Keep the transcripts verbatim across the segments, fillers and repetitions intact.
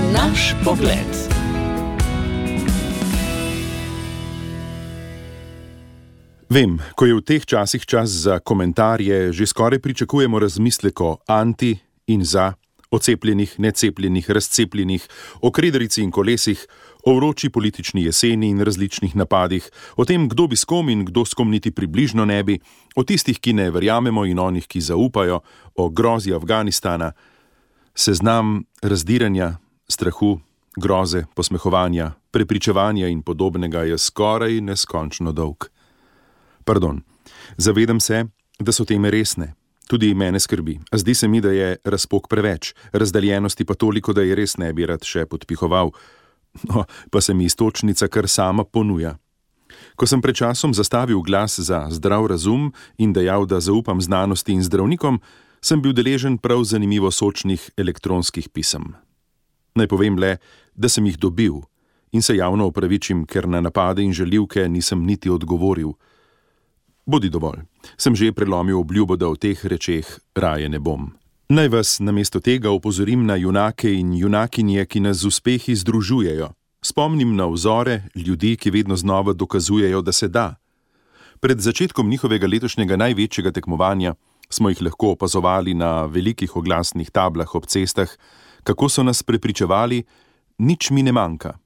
Naš pogled. Vem, ko je v teh časih čas za komentarje, že skoraj pričakujemo razmislek o anti in za, o cepljenih, necepljenih, razcepljenih, o krederici in kolesih, o vroči politični jeseni in različnih napadih, o tem, kdo bi s kom in kdo s kom niti približno ne bi, o tistih, ki ne verjamemo in onih, ki zaupajo, o grozi Afganistana. Seznam razdiranja, strahu, groze, posmehovanja, prepričevanja in podobnega je skoraj neskončno dolg. Pardon, zavedam se, da so teme resne. Tudi mene skrbi. A zdi se mi, da je razpok preveč, razdeljenosti pa toliko, da je res ne bi rad še podpihoval. No, pa se mi iztočnica kar sama ponuja. Ko sem pred časom zastavil glas za zdrav razum in dejal, da zaupam znanosti in zdravnikom, sem bil deležen prav zanimivo sočnih elektronskih pisem. Naj povem le, da sem jih dobil in se javno opravičim, ker na napade in žaljivke nisem niti odgovoril. Bodi dovolj, sem že prelomil obljubo, da o teh rečeh raje ne bom. Naj vas namesto tega opozorim na junake in junakinje, ki nas z uspehi združujejo. Spomnim na vzore ljudi, ki vedno znova dokazujejo, da se da. Pred začetkom njihovega letošnjega največjega tekmovanja smo jih lahko opazovali na velikih oglasnih tablah ob cestah, kako so nas prepričevali, nič mi ne manjka.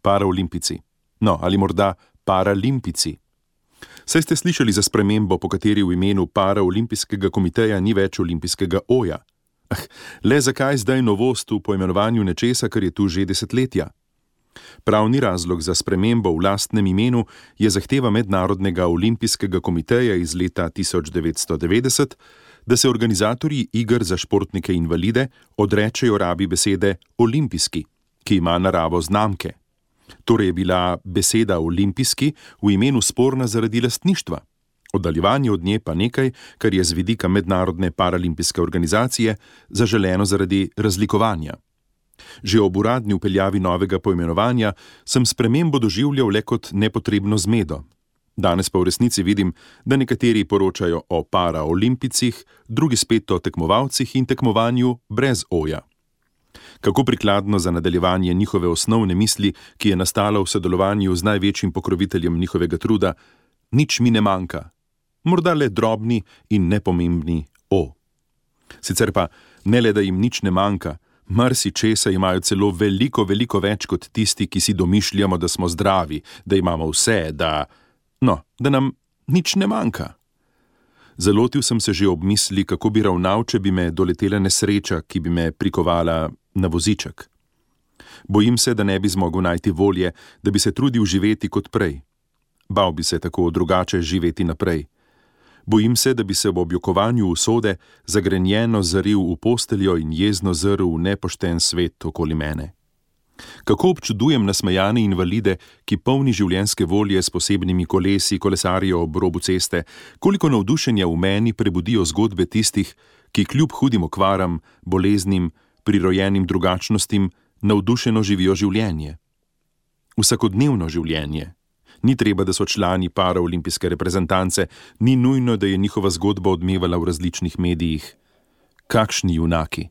Paraolimpici. No, ali morda paralimpici. Saj ste slišali za spremembo, po kateri v imenu Paraolimpijskega komiteja ni več olimpijskega oja. Ah, le zakaj zdaj novost v poimenovanju nečesa, kar je tu že desetletja? Pravni razlog za spremembo v lastnem imenu je zahteva Mednarodnega olimpijskega komiteja iz leta tisoč devetsto devetdeset, da se organizatorji iger za športnike invalide odrečejo rabi besede olimpijski, ki ima naravo znamke. Torej je bila beseda olimpijski v imenu sporna zaradi lastništva. Oddaljevanje od nje pa nekaj, kar je z vidika Mednarodne paralimpijske organizacije zaželeno zaradi razlikovanja. Že ob uradni vpeljavi novega poimenovanja sem spremembo doživljal le kot nepotrebno zmedo. Danes pa v resnici vidim, da nekateri poročajo o paraolimpicih, drugi spet o tekmovalcih in tekmovanju brez oja. Kako prikladno za nadaljevanje njihove osnovne misli, ki je nastala v sodelovanju z največjim pokroviteljem njihovega truda, nič mi ne manjka. Morda le drobni in nepomembni o. Sicer pa ne le, da jim nič ne manjka, marsičesa imajo celo veliko, veliko več kot tisti, ki si domišljamo, da smo zdravi, da imamo vse, da... No, da nam nič ne manjka. Zalotil sem se že ob misli, kako bi ravnal, če bi me doletela nesreča, ki bi me prikovala na voziček. Bojim se, da ne bi zmogel najti volje, da bi se trudil živeti kot prej. Bal bi se tako drugače živeti naprej. Bojim se, da bi se ob objokovanju usode zagrenjeno zaril v posteljo in jezno zrl v nepošten svet okoli mene. Kako občudujem nasmejane invalide, ki polni življenjske volje s posebnimi kolesi kolesarijo ob robu ceste, koliko navdušenja v meni prebudijo zgodbe tistih, ki kljub hudim okvaram, boleznim, prirojenim drugačnostim, navdušeno živijo življenje. Vsakodnevno življenje. Ni treba, da so člani paraolimpijske reprezentance, ni nujno, da je njihova zgodba odmevala v različnih medijih. Kakšni junaki!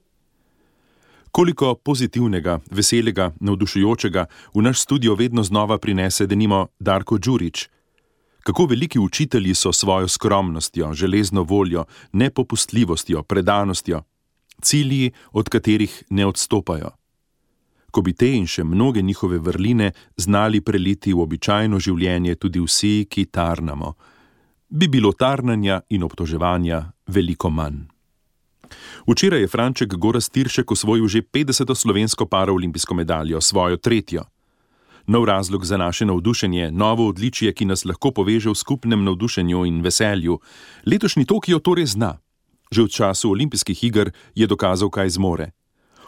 Koliko pozitivnega, veselega, navdušujočega v naš studio vedno znova prinese denimo Darko Đurić. Kako veliki učitelji so svojo skromnostjo, železno voljo, nepopustljivostjo, predanostjo, cilji, od katerih ne odstopajo. Ko bi te in še mnoge njihove vrline znali preliti v običajno življenje tudi vsi, ki tarnamo, bi bilo tarnanja in obtoževanja veliko manj. Včeraj je Franček Gorazd Tiršek osvojil že petdeseto slovensko paraolimpijsko medaljo, svojo tretjo. Nov razlog za naše navdušenje, novo odličje, ki nas lahko poveže v skupnem navdušenju in veselju. Letošnji Tokio to res zna. Že v času olimpijskih iger je dokazal, kaj zmore.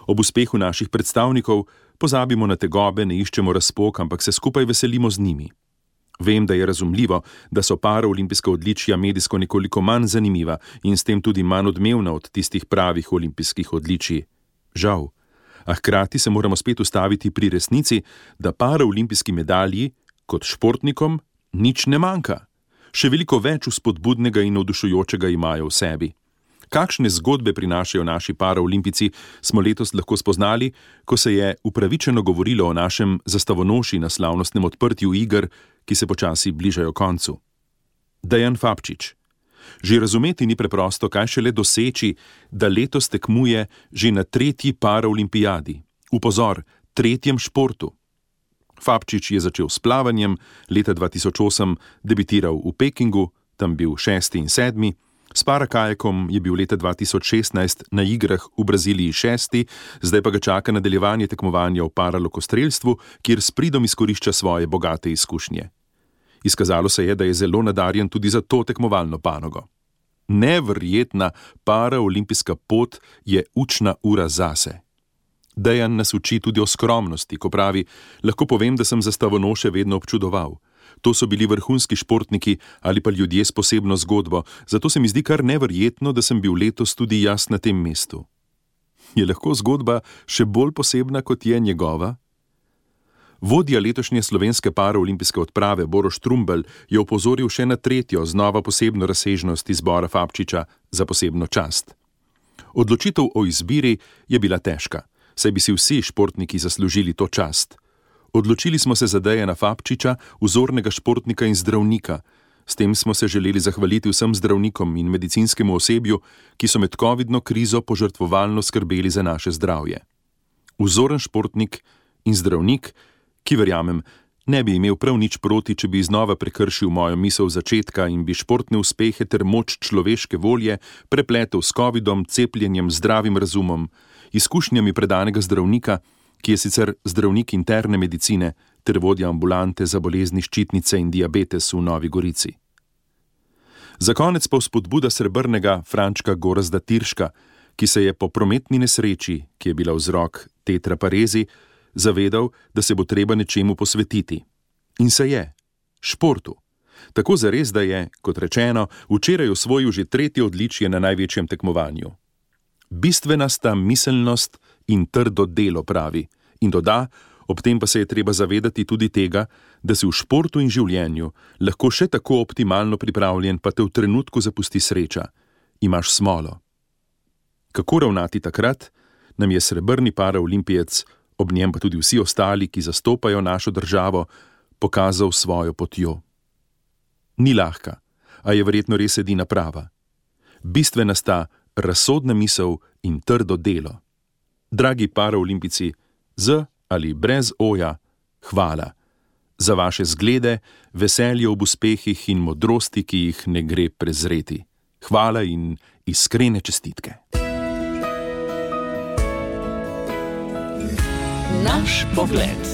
Ob uspehu naših predstavnikov pozabimo na tegobe, ne iščemo razpok, ampak se skupaj veselimo z njimi. Vem, da je razumljivo, da so paraolimpijska odličja medijsko nekoliko manj zanimiva in s tem tudi manj odmevna od tistih pravih olimpijskih odličij. Žal. A hkrati se moramo spet ustaviti pri resnici, da paraolimpijski medalji, kot športnikom, nič ne manjka. Še veliko več vzpodbudnega in navdušujočega imajo v sebi. Kakšne zgodbe prinašajo naši paraolimpijci, smo letos lahko spoznali, ko se je upravičeno govorilo o našem zastavonoši na slavnostnem odprtju iger, ki se počasi bližajo koncu. Dejan Fabčič. Že razumeti ni preprosto, kaj šele doseči, da letos tekmuje že na tretji paraolimpijadi. Upozor, tretjem športu. Fabčič je začel s plavanjem, leta dva tisoč osem debitiral v Pekingu, tam bil šesti in sedmi, s parakajakom je bil leta dva tisoč šestnajst na igrah v Braziliji šesti, zdaj pa ga čaka nadaljevanje tekmovanja v paralokostrelstvu, kjer s pridom izkorišča svoje bogate izkušnje. Izkazalo se je, da je zelo nadarjen tudi za to tekmovalno panogo. Neverjetna paraolimpijska pot je učna ura zase. Dejan nas uči tudi o skromnosti, ko pravi: lahko povem, da sem zastavonoše vedno občudoval. To so bili vrhunski športniki ali pa ljudje s posebno zgodbo, zato se mi zdi kar neverjetno, da sem bil letos tudi jaz na tem mestu. Je lahko zgodba še bolj posebna, kot je njegova? Vodja letošnje slovenske paraolimpijske odprave Boroš Trumbelj je opozoril še na tretjo, znova posebno razsežnost izbora Fabčiča za posebno čast. Odločitev o izbiri je bila težka, saj bi si vsi športniki zaslužili to čast. Odločili smo se za Dejana Fabčiča, vzornega športnika in zdravnika. S tem smo se želeli zahvaliti vsem zdravnikom in medicinskemu osebju, ki so med covidno krizo požrtvovalno skrbeli za naše zdravje. Vzoren športnik in zdravnik, ki verjamem, ne bi imel prav nič proti, če bi znova prekršil mojo misel začetka in bi športne uspehe ter moč človeške volje prepletel s covidom, cepljenjem, zdravim razumom, izkušnjami predanega zdravnika, ki je sicer zdravnik interne medicine ter vodja ambulante za bolezni ščitnice in diabetes v Novi Gorici. Za konec pa vzpodbuda srebrnega Frančka Gorazda Tirška, ki se je po prometni nesreči, ki je bila vzrok tetraparezi, zavedal, da se bo treba nečemu posvetiti. In se je. Športu. Tako zares, da je, kot rečeno, včeraj osvojil že tretje odličje na največjem tekmovanju. Bistvena sta miselnost in trdo delo, pravi, in doda, ob tem pa se je treba zavedati tudi tega, da si v športu in življenju lahko še tako optimalno pripravljen, pa te v trenutku zapusti sreča. Imaš smolo. Kako ravnati takrat, nam je srebrni paraolimpijec, ob njem pa tudi vsi ostali, ki zastopajo našo državo, pokazal svojo potjo. Ni lahka, a je verjetno res edina prava. Bistvena sta razsodna misel in trdo delo. Dragi paraolimpijci, z ali brez oja, hvala. Za vaše zglede, veselje ob uspehih in modrosti, ki jih ne gre prezreti. Hvala in iskrene čestitke. Naš pogled.